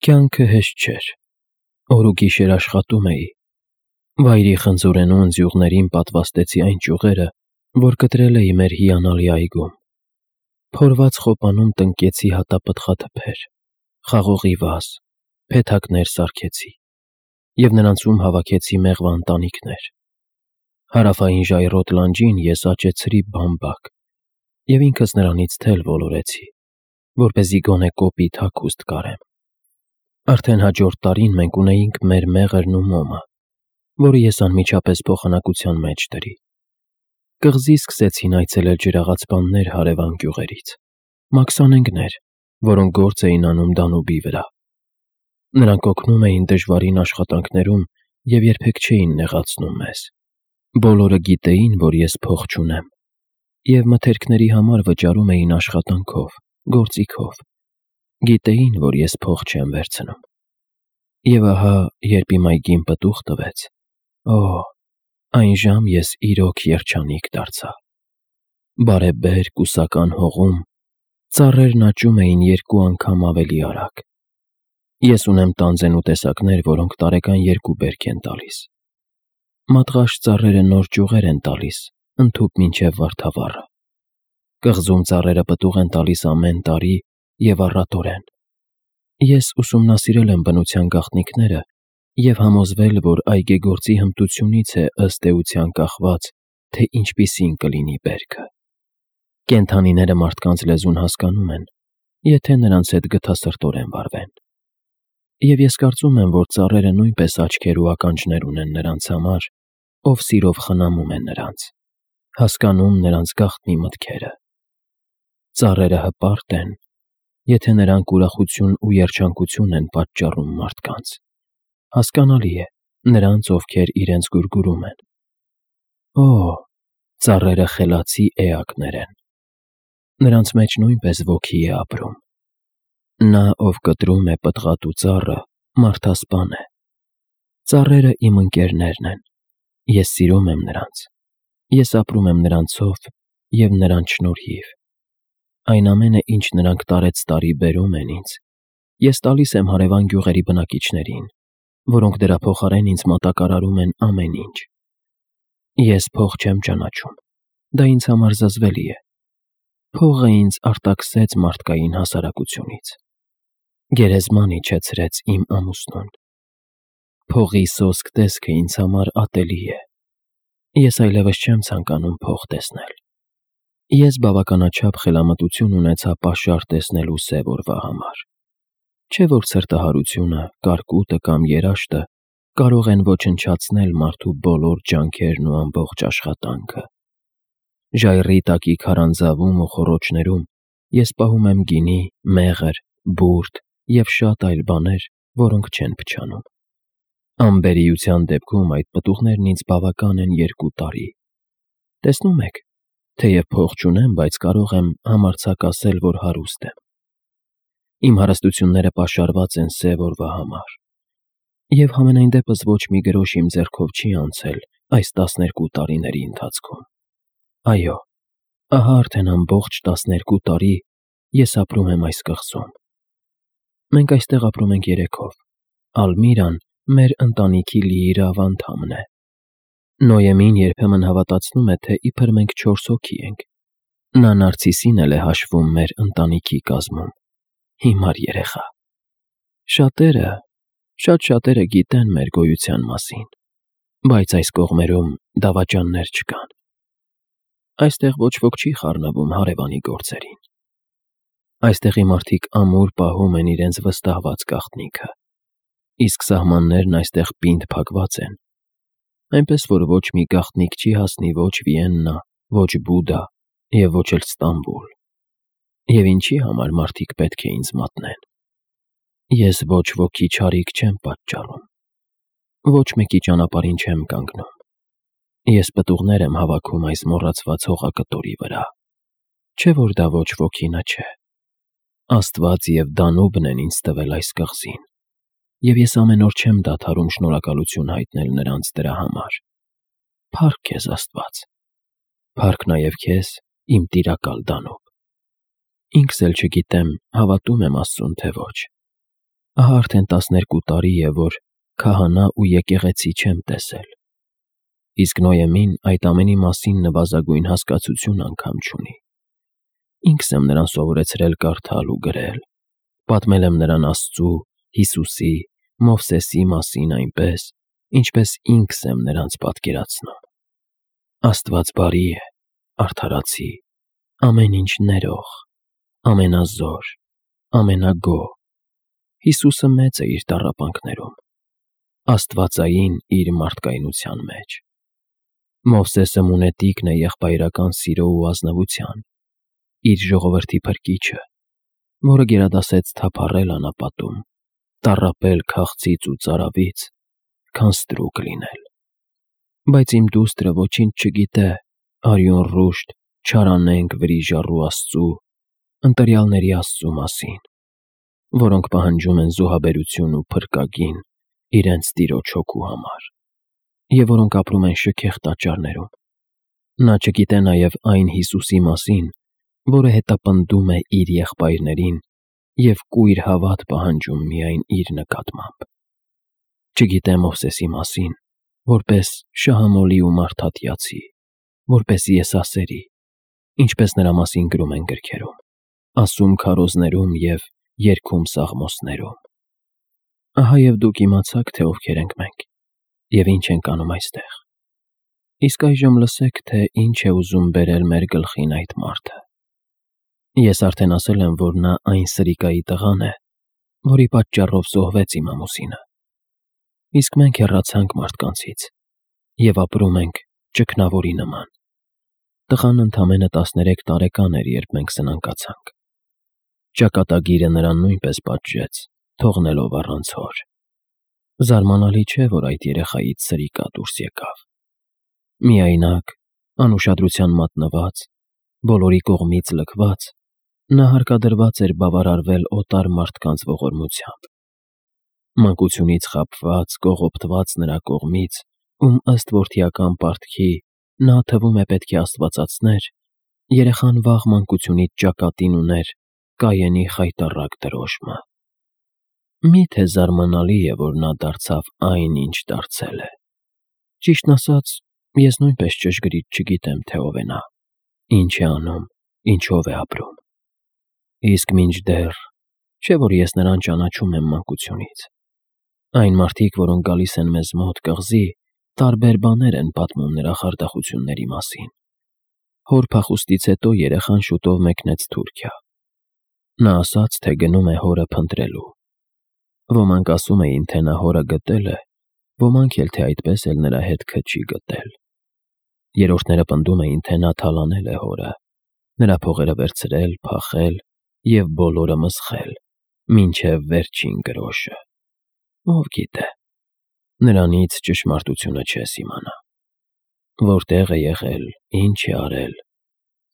Կյանքը հեշտ չէր։ Օր ու գիշեր աշխատում էի։ Վայրի խնձորենու ընձյուղներին պատվաստեցի այն ճյուղերը, որ կտրել էի մեր հիանալի այգում։ Փորված խոպանում տնկեցի հատապտղաթփեր, խաղողի վազ, փեթակներ սարքեցի և նրանցում հավաքեցի մեղվա ընտանիքներ։ Հարավային ժայռոտ լանջին ես աճեցրի բամբակ և ինքս նրանից թել ոլորեցի, որպեսզի գոնե կոպիտ հագուստ կարեմ։ Արդեն հաջորդ տարին մենք ունեինք մեր մեղրն ու մոմը, որը ես անմիջապես փոխանակության մեջ դրի։ Կղզի սկսեցին այցելել ջրաղացպաններ հարևան գյուղերից, մաքսանենգներ, որոնք գործ էին անում Դանուբի վրա։ Նրանք օգնում էին դժվարին աշխատանքներում և երբեք չէին նեղացնում մեզ։ Բոլորը գիտեին, որ ես փող չունեմ, և մթերքների համար վճարում էին աշխատանքով, գործիքով։ Գիտեին, որ ես փող չեմ վերցնում։ Եվ ահա, երբ իմ այգին պտուղ տվեց, այն ժամ ես իրոք երջանիկ դարձա։ Բարեբեր, կուսական հողում ծառերն աճում էին 2 անգամ ավելի արագ։ Ես ունեմ տանձենու տեսակներ, որոնք տարեկան 2 բերք են տալիս։ Մատղաշ ծառերը նոր ճյուղեր են տալիս, ընդհուպ մինչև վարդավառը։ Կղզում ծառերը պտուղ են տալիս ամեն տարի և առատորեն։ Ես ուսումնասիրել եմ բնության գաղտնիքները և համոզվել, որ այգեգործի հմտությունից է ըստ էության կախված, թե ինչպիսին կլինի բերքը։ Կենդանիները մարդկանց լեզուն հասկանում են, եթե նրանց հետ գթասրտորեն վարվեն։ Եվ ես կարծում եմ, որ ծառերը նույնպես աչքեր ու ականջներ ունեն նրանց համար, ով սիրով խնամում է նրանց, հասկանում նրանց գաղտնի մտքերը։ Ծառերը հպարտ են, եթե նրանք ուրախություն ու երջանկություն են պատճառում մարդկանց։ Հասկանալի է, նրանց, ովքեր իրենց գուրգուրում են։ Ծառերը խելացի էակներ են։ Նրանց մեջ նույնպես ոգի է ապրում։ Նա, ով կտրում է պտղատու ծառը, մարդասպան է։ Ծառերը իմ ընկերներն են։ Ես սիրում եմ նրանց։ Ես ապրում եմ նրանցով և նրանց շնորհիվ։ Այն ամենը, ինչ նրանք տարեցտարի բերում են ինձ, ես տալիս եմ հարևան գյուղերի բնակիչներին, որոնք դրա փոխարեն ինձ մատակարարում են ամեն ինչ։ Ես փող չեմ ճանաչում։ Դա ինձ համար զզվելի է։ Փողը ինձ արտաքսեց մարդկային հասարակությունից։ Գերեզման իջեցրեց իմ ամուսնուն։ Փողի սոսկ տեսքը ինձ համար ատելի է։ Ես այլևս չեմ ցանկանում փող տեսնել։ Ես բավականաչափ խելամտություն ունեցա պաշար տեսնելու սև օրվա համար։ Չէ՞ որ ցրտահարությունը, կարկուտը կամ երաշտը կարող են ոչնչացնել մարդու բոլոր ջանքերն ու ամբողջ աշխատանքը։ Ժայռի տակի քարանձավում ու խոռոչներում ես պահում եմ գինի, մեղր, բուրդ և շատ այլ բաներ, որոնք չեն փչանում։ Անբերիության դեպքում այդ պտուղներն ինձ բավական են 2 տարի։ Տեսնում եք, թեև փող չունեմ, բայց կարող եմ համարձակ ասել, որ հարուստ եմ։ Իմ հարստությունները պաշարված են սև օրվա համար։ Եվ համենայն դեպս ոչ մի գրոշ իմ ձեռքով չի անցել այս 12 տարիների ընթացքում։ Այո, ահա արդեն ամբողջ 12 տարի ես ապրում եմ այս կղզում։ Մենք այստեղ ապրում ենք 3-ով։ Ալմիրան մեր ընտանիքի լիիրավ անդամն է։ Նոյեմին երբեմն հավատացնում է, թե իբր մենք 4 հոգի ենք։ Նա Նարցիսին էլ է հաշվում մեր ընտանիքի կազմում։ Հիմար երեխա։ Շատ շատերը գիտեն մեր գոյության մասին, բայց այս կողմերում դավաճաններ չկան։ Այստեղ ոչ ոք չի խառնվում հարևանի գործերին։ Այստեղի մարդիկ ամուր պահում են իրենց վստահված գաղտնիքը, իսկ սահմաններն այստեղ պինդ փակված են, այնպես որ ոչ մի գաղտնիք չի հասնի ոչ Վիեննա, ոչ Բուդա և ոչ էլ Ստամբուլ։ Եվ ինչի համար մարդիկ պետք է ինձ մատնեն։ Ես ոչ ոքի չարիք չեմ պատճառում։ Ոչ մեկի ճանապարհին չեմ կանգնում։ Ես պտուղներ եմ հավաքում այս մոռացված հողակտորի վրա։ Չէ՞ որ դա ոչ ոքինը չէ։ Աստված և Դանուբն են ինձ տվել այս կղզին, և ես ամեն օր չեմ դադարում շնորհակալություն հայտնել նրանց դրա համար։ Փառք քեզ, Աստված։ Փառք նաև քեզ, իմ տիրակալ Դանուբ։ Ինքս էլ չգիտեմ, հավատում եմ Աստծուն, թե ոչ։ Ահա արդեն 12 տարի է, որ քահանա ու եկեղեցի չեմ տեսել։ Իսկ Նոյեմին այդ ամենի մասին նվազագույն հասկացություն անգամ չունի։ Ինքս եմ նրան սովորեցրել կարդալ ու գրել, պատմել եմ նրան Աստծու, Հիսուսի, Մովսեսի մասին այնպես, ինչպես ինքս եմ նրանց պատկերացնում։ Աստված բարի է, արդարացի, ամեն ինչ ներող, ամենազոր, ամենագոհ։ Հիսուսը մեծ է իր տառապանքներում, աստվածային իր մարդկայնության մեջ։ Մովսեսը մունետիկն է եղբայրական սիրո ու ազնվության, իր ժողովրդի փրկիչը, որը գերադասեց թափառել անապատում, տառապել քաղցից ու ծարավից, քան ստրուկ լինել։ Բայց իմ դուստրը ոչինչ չգիտե արյուն ռուշտ, չարանենգ վրիժառու Աստծու, ընտրյալների Աստծու մասին, որոնք պահանջում են զոհաբերություն ու փրկագին իրենց տիրոջ հոգու համար, և որոնք ապրում են շքեղ տաճարներում։ Նա չգիտե նաև այն Հիսուսի մասին, որը հետապնդում է իր եղբայրներին և կույր հավատ պահանջում միայն իր նկատմամբ։ Չգիտե Մովսեսի մասին, որպես շահամոլի ու մարդատյացի, որպես եսասերի, ինչպես նրա մասին գրում են գրքերում, ասում քարոզներում և երգում սաղմոսներում։ Ահա և դուք իմացաք, թե ովքեր ենք մենք և ինչ ենք անում այստեղ։ Իսկ այժմ լսեք, թե ինչ է ուզում բերել մեր գլխին այդ մարդը։ Ես արդեն ասել եմ, որ նա այն սրիկայի տղան է, որի պատճառով զոհվեց իմ ամուսինը։ Իսկ մենք հեռացանք մարդկանցից և ապրում ենք ճգնավորի նման։ Տղան ընդամենը 13 տարեկան էր, երբ մենք սնանկացանք։ Ճակատագիրը նրան նույնպես պատժեց, թողնելով առանց հոր։ Զարմանալի չէ, որ այդ երեխայից սրիկա դուրս եկավ։ Միայնակ, անուշադրության մատնված, բոլորի կողմից լքված, նա հարկադրված էր բավարարվել օտար մարդկանց ողորմությամբ։ Մանկությունից խաբված, կողոպտված նրա կողմից, ում ըստ որդիական պարտքի նա թվում է պետք է աստվածացներ, երեխան վաղ մանկությունից ճակատին ուներ Կայենի խայտառակ դրոշմը։ Մի՞թե զարմանալի է, որ նա դարձավ այն, ինչ դարձել է։ Ճիշտն ասած, ես նույնպես ճշգրիտ չգիտեմ, թե ով է նա, ինչ է անում, ինչով է ապրում։ Իսկ մինչդեռ, չէ՞ որ ես նրան ճանաչում եմ մանկությունից։ Այն մարդիկ, որոնք գալիս են մեզ մոտ կղզի, տարբեր բաներ են պատմում նրա խարդախությունների մասին։ Հոր փախուստից հետո երեխան շուտով մեկնեց Թուրքիա։ Նա ասաց, թե գնում է հորը փնտրելու։ Ոմանք ասում էին, թե նա հորը գտել է, ոմանք էլ, թե այդպես էլ նրա հետքը չի գտել։ Երրորդները պնդում էին, թե նա թալանել է հորը, նրա փողերը վերցրել, փախել և բոլորը մսխել, մինչև վերջին գրոշը։ Ով գիտե, նրանից ճշմարտությունը չես իմանա։ Որտեղ է եղել, ինչ է արել,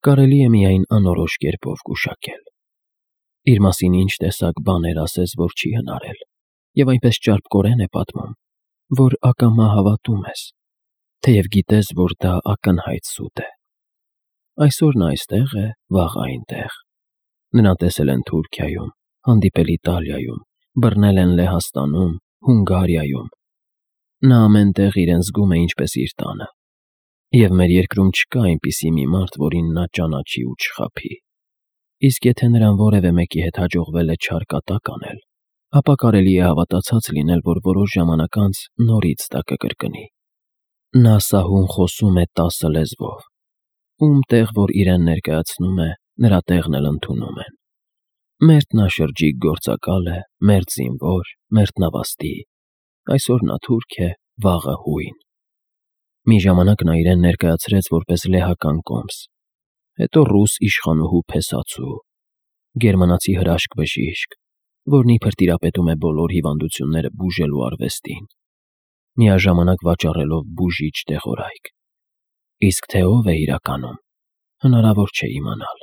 կարելի է միայն անորոշ կերպով գուշակել։ Իր մասին ինչ տեսակ բաներ ասես, որ չի հնարել, և այնպես ճարպկորեն է պատմում, որ ակամա հավատում ես, թեև գիտես, որ դա ակնհայտ սուտ է։ Այսօր նա այստեղ է, վաղը այնտեղ։ Նրան տեսել են Թուրքիայում, հանդիպել Իտալիայում, բռնել են Լեհաստանում, Հունգարիայում։ Նա ամեն տեղ իրեն զգում է ինչպես իր տանը։ Եվ մեր երկրում չկա այնպիսի մի մարդ, որին նա ճանաչի ու չխաբի։ Իսկ եթե նրան որևէ մեկի հետ հաջողվել է չար կատակ անել, ապա կարելի է հավատացած լինել, որ որոշ ժամանակ անց նորից դա կկրկնի։ Նա սահուն խոսում է 10 լեզվով։ Ում տեղ, որ իրեն ներկայացնում է, նրա տեղն էլ ընդունում են։ Մերթնաշրջիկ գործակալ է, մերթ զինվոր, մերթնավաստի։ Այսօր նա թուրք է, վաղը հույն։ Մի ժամանակ նա իրեն ներկայացրեց որպես լեհական կոմս, հետո ռուս իշխանուհու փեսացու, գերմանացի հրաշք բժիշկ, որն իբր տիրապետում է բոլոր հիվանդությունները բուժելու արվեստին, միաժամանակ վաճառելով բուժիչ դեղորայք։ Իսկ թե ով է իրականում, հնարավոր չէ իմանալ։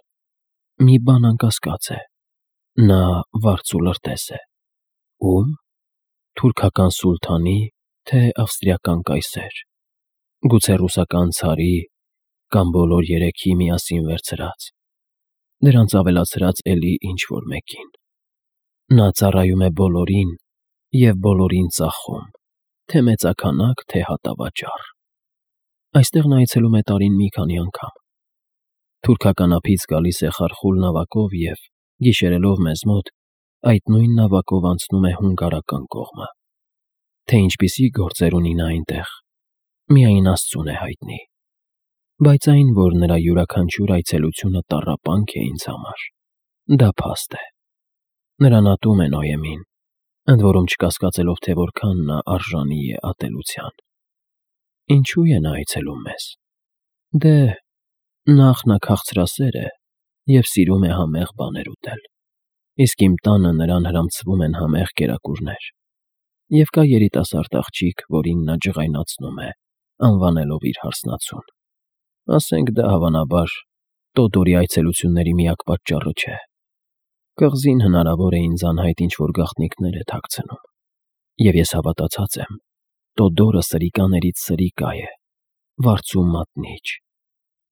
Մի բան անկասկած է. նա վարձ ու լրտես է։ Ո՞ւմ։ Թուրքական սուլթանի, թե ավստրիական կայսեր։ Գուցե ռուսական ցարի, կամ բոլոր երեքի միասին վերցրած, դրանց ավելացրած էլի ինչ-որ մեկին։ Նա ծառայում է բոլորին և բոլորին ծախում, թե մեծաքանակ, թե հատավաճառ։ Այստեղ նա այցելում է տարին մի քանի անգամ։ Թուրքական ափից գալիս է խարխուլ նավակով և, գիշերելով մեզ մոտ, այդ նույն նավակով անցնում է հունգարական կողմը։ Թե ինչպիսի գործեր ունի նա այնտեղ, միայն Աստծուն է հայտնի։ Բայց այն, որ նրա յուրաքանչյուր այցելությունը տառապանք է ինձ համար, դա փաստ է։ Նրան ատում է Նոյեմին, ընդ որում չկասկածելով, թե որքան նա արժանի է ատելության։ Ինչու է նա այցելում մեզ։ Դե, նախ նա քաղցրասեր է և սիրում է համեղ բաներ ուտել, իսկ իմ տանը նրան հրամցվում են համեղ կերակուրներ, և կա երիտասարդ աղջիկ, որին նա ջղայնացնում է, անվանելով իր հարսնացուն։ Ասենք դա, հավանաբար, Տոդորի այցելությունների միակ պատճառը չէ։ Կղզին հնարավոր է ինձ անհայտ ինչ-որ գաղտնիքներ է թաքցնում, և ես հավատացած եմ, Տոդորը սրիկաներից սրիկա է, վարձու մատնիչ,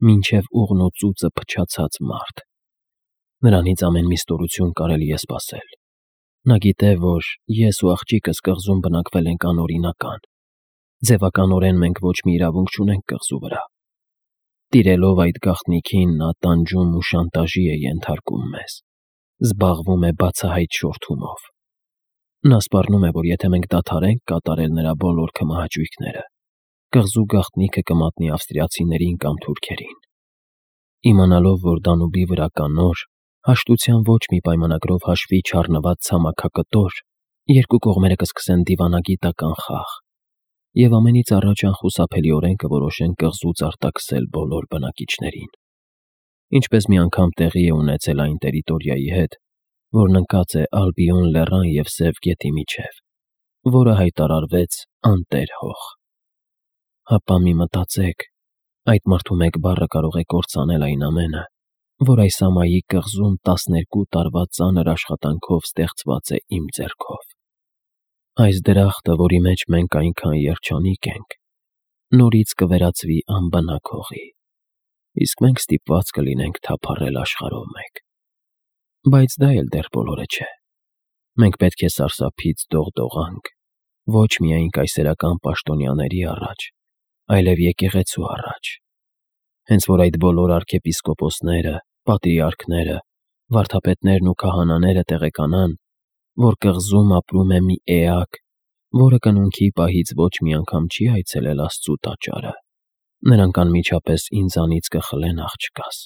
մինչև ուղն ու ծուծը փչացած մարդ։ Նրանից ամեն մի ստորություն կարելի է սպասել։ Նա գիտե, որ ես ու աղջիկս կղզում բնակվել ենք անօրինական, ձևականորեն մենք ոչ մի իրավունք չունենք կղզու վրա։ Տիրելով այդ գաղտնիքին, նա տանջում ու շանտաժի է ենթարկում մեզ, զբաղվում է բացահայտ շորթումով։ Նա սպառնում է, որ եթե մենք դադարենք կատարել նրա բոլոր քմահաճույքները, կղզու գաղտնիքը կմատնի ավստրիացիներին կամ թուրքերին։ Իմանալով, որ Դանուբի վրա կա նոր, հաշտության ոչ մի պայմանագրով հաշվի չառնված ցամաքակտոր, երկու կողմերը կսկսեն դիվանագիտական խաղ, և ամենից առաջ անխուսափելիորեն կորոշեն կղզուց արտաքսել բոլոր բնակիչներին։ Ինչպես մի անգամ տեղի է ունեցել այն տերիտորիայի հետ, որն ընկած է Ալբիոն լեռան և Սև գետի միջև, որը հայտարարվեց անտեր հող։ Հապա մի մտածեք, այդ մարդու մեկ բառը կարող է կործանել այն ամենը, որ այս ամայի կղզում 12 տարվա ծանր աշխատանքով ստեղծված է իմ ձեռքով։ Այս դրախտը, որի մեջ մենք այնքան երջանիկ ենք, նորից կվերածվի անբնակ հողի, իսկ մենք ստիպված կլինենք թափառել աշխարհով մեկ։ Բայց դա էլ դեռ բոլորը չէ։ Մենք պետք է սարսափից դողդողանք ոչ միայն կայսերական պաշտոնյաների առաջ, այլև եկեղեցու առաջ։ Հենց որ այդ բոլոր արքեպիսկոպոսները, պատրիարքները, վարդապետներն ու քահանաները տեղեկանան, որ կղզում ապրում է մի էակ, որը կնունքի պահից ոչ մի անգամ չի այցելել Աստծու տաճարը, նրանք անմիջապես ինձանից կխլեն աղջկաս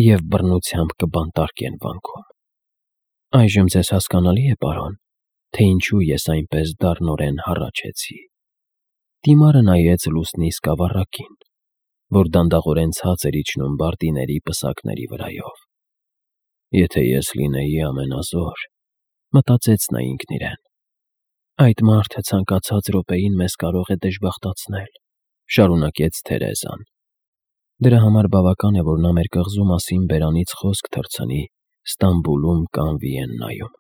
և բռնությամբ կբանտարկեն վանքում։ Այժմ ձեզ հասկանալի է, պարոն, թե ինչու ես այնպես դառնորեն հառաչեցի։ Դիմարը նայեց լուսնի սկավառակին, որ դանդաղորեն ցած էր իջնում բարդիների պսակների վրայով։ Եթե ես լինեի ամենազոր, մտածեց նա ինքն իրեն, այդ մարդը ցանկացած րոպեին մեզ կարող է դժբախտացնել, շարունակեց Թերեզան։ Դրա համար բավական է, որ նա մեր կղզու մասին բերանից խոսք թռցնի Ստամբուլում կամ Վիեննայում։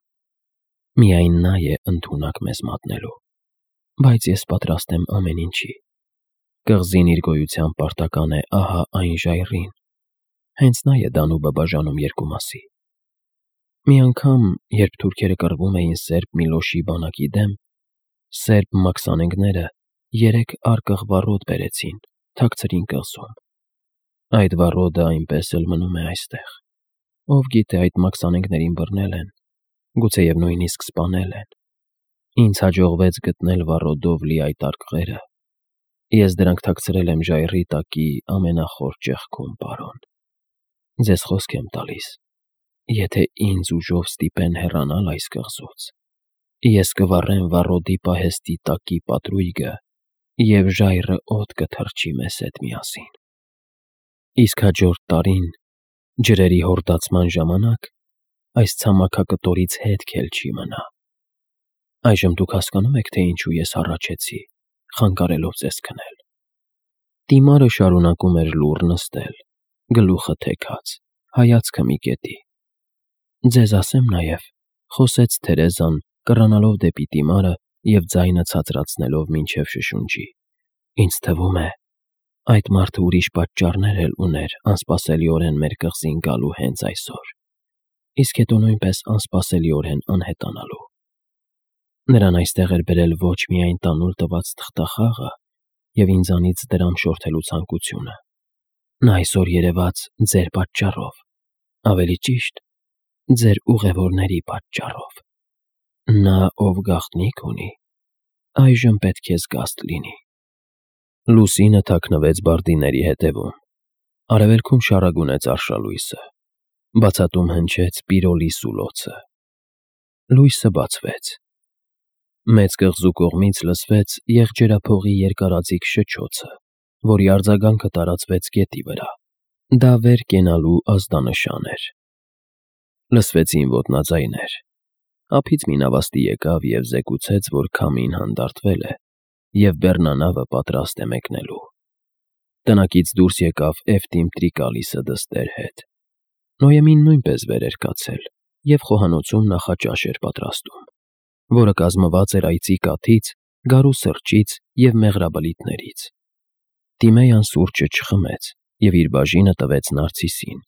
Միայն նա է ընդունակ մեզ մատնելու, բայց ես պատրաստ եմ ամեն ինչի։ Կղզին իր գոյության պարտական է ահա այն ժայռին, հենց նա է Դանուբը բաժանում երկու մասի։ Մի անգամ, երբ թուրքերը կռվում էին սերբ Միլոշի բանակի դեմ, սերբ մաքսանենգները 3 արկղ վառոդ բերեցին, թաքցրին կղզում։ Այդ վառոդը այնպես էլ մնում է այստեղ։ Ով գիտե, այդ մաքսանենգներին բռնել են, գուցեև նույնիսկ սպանել են։ Ինձ հաջողվեց գտնել վառոդով լի այդ արկղերը։ Ես դրանք թաքցրել եմ ժայռի տակի ամենախոր ճեղքում, պարոն։ Ձեզ խոսք եմ տալիս, եթե ինձ ուժով ստիպեն հեռանալ այս կղզուց, ես կվառեմ վառոդի պահեստի տակի պատրույգը և ժայռը օդ կթռչի մեզ հետ միասին։ Իսկ հաջորդ տարին, ջրերի հորդացման ժամանակ, այս ցամաքակտորից հետք էլ չի մնա։ Այժմ դուք հասկանո՞ւմ եք, թե ինչու ես հառաչեցի, խանգարելով ձեզ քնել։ Դիմարը շարունակում էր լուռ նստել, գլուխը թեքած, հայացքը մի կետի։ Ձեզ ասեմ նաև, խոսեց Թերեզան, կռանալով դեպի դիմարը և ձայնը ցածրացնելով մինչև շշունջի։ Ինձ թվում է, այդ մարդը ուրիշ պատճառներ էլ ուներ անսպասելիորեն մեր կղզին գալու հենց այսօր։ իսկ հետո նույնպես անսպասելիորեն անհետանալու։ Նրան այստեղ էր բերել ոչ միայն տանուլ տված թղթախաղը և ինձանից դրամ շորթելու ցանկությունը, նա այսօր երևաց ձեր պատճառով, ավելի ճիշտ, ձեր ուղևորների պատճառով։ Նա, ով գաղտնիք ունի, այժմ պետք է զգաստ լինի։ Լուսինը թաքնվեց բարդիների հետևում։ Արևելքում շառագունեց արշալույսը։ Բացատում հնչեց Պիրոլի սուլոցը։ Լույսը բացվեց։ Մեծ կղզու կողմից լսվեց եղջերափողի երկարաձիգ շչոցը, որի արձագանքը տարածվեց գետի վրա։ Դա վեր կենալու ազդանշան էր։ Լսվեցին ոտնաձայներ։ Ափից մի նավաստի եկավ և զեկուցեց, որ քամին հանդարտվել է, և բեռնանավը պատրաստ է մեկնելու։ Տնակից դուրս եկավ Էֆտիմ Տրիկալիսը դստեր հետ։ Նոյեմին նույնպես վեր էր կացել և խոհանոցում նախաճաշ էր պատրաստում, որը կազմված էր այծի կաթից, գարու սրճից և մեղրաբլիթներից։ Տիմեյան սուրճը չխմեց և իր բաժինը տվեց Նարցիսին,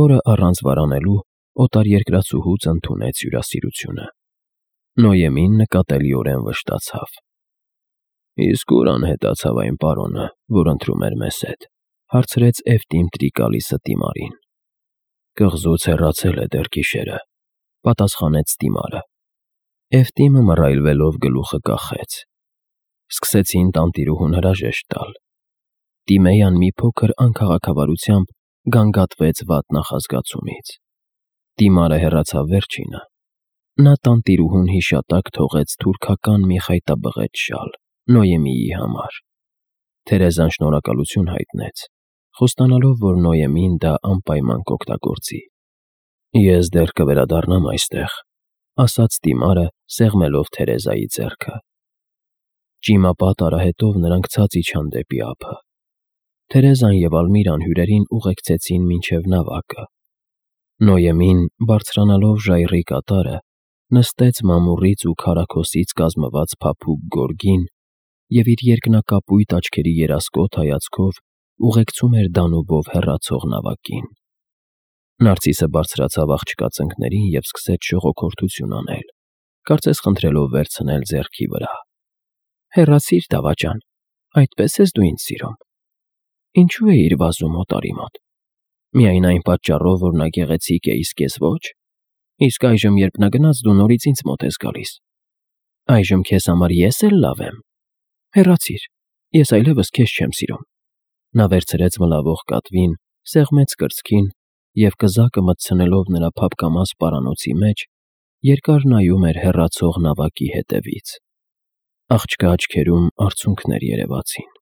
որը առանց վարանելու օտարերկրացուհուց ընդունեց հյուրասիրությունը։ Նոյեմին նկատելիորեն վշտացավ։ «Իսկ ուր անհետացավ այն պարոնը, որ ընթրում էր մեզ հետ», հարցրեց Էֆտիմ Տրիկալիսը Տիմարին։ «Կղզուց հեռացել է դեռ գիշերը», պատասխանեց Տիմարը։ Էֆտիմը մռայլվելով գլուխը կախեց։ Սկսեցին տանտիրուհուն հրաժեշտ տալ։ Տիմեյան մի փոքր անքաղաքավարությամբ գանգատվեց վատ նախազգացումից։ Տիմարը հեռացավ վերջինը։ Նա տանտիրուհուն հիշատակ թողեց թուրքական մի խայտաբղետ շալ Նոյեմիի համար։ Թերեզան շնորհակալություն հայտնեց, խոստանալով, որ Նոյեմին դա անպայման կօգտագործի։ «Ես դեռ կվերադառնամ այստեղ», ասաց Տիմարը, սեղմելով Թերեզայի ձեռքը։ Ճիմապատ արահետով նրանք ցած իջան դեպի ափը։ Թերեզան և Ալմիրան հյուրերին ուղեկցեցին մինչև նավակը։ Նոյեմին, բարձրանալով ժայռի կատարը, նստեց մամուռից ու քարաքոսից կազմված փափուկ գորգին և իր երկնակապույտ աչքերի երասկոտ հայացքով ուղեկցում էր Դանուբով հեռացող նավակին։ Նարցիսը բարձրացավ աղջկա ծնկներին և սկսեց շողոքորթություն անել, կարծես խնդրելով վերցնել ձեռքի վրա։ «Հեռացիր, դավաճան, այդպես ես դու ինձ սիրում։ Ինչու էիր վազում օտարի մոտ։ Միայն այն պատճառով, որ նա գեղեցիկ է, իսկ ես ոչ։ Իսկ այժմ, երբ նա գնաց, դու նորից ինձ մոտ ես գալիս։ Այժմ քեզ համար ես էլ լավ եմ։ Հեռացիր, ես այլևս քեզ չեմ սիրում»։ Նա վերցրեց մլավող կատվին, սեղմեց կրծքին և, կզակը մտցնելով նրա փափկամազ պարանոցի մեջ, երկար նայում էր հեռացող նավակի հետևից։ Աղջկա աչքերում արցունքներ երևացին։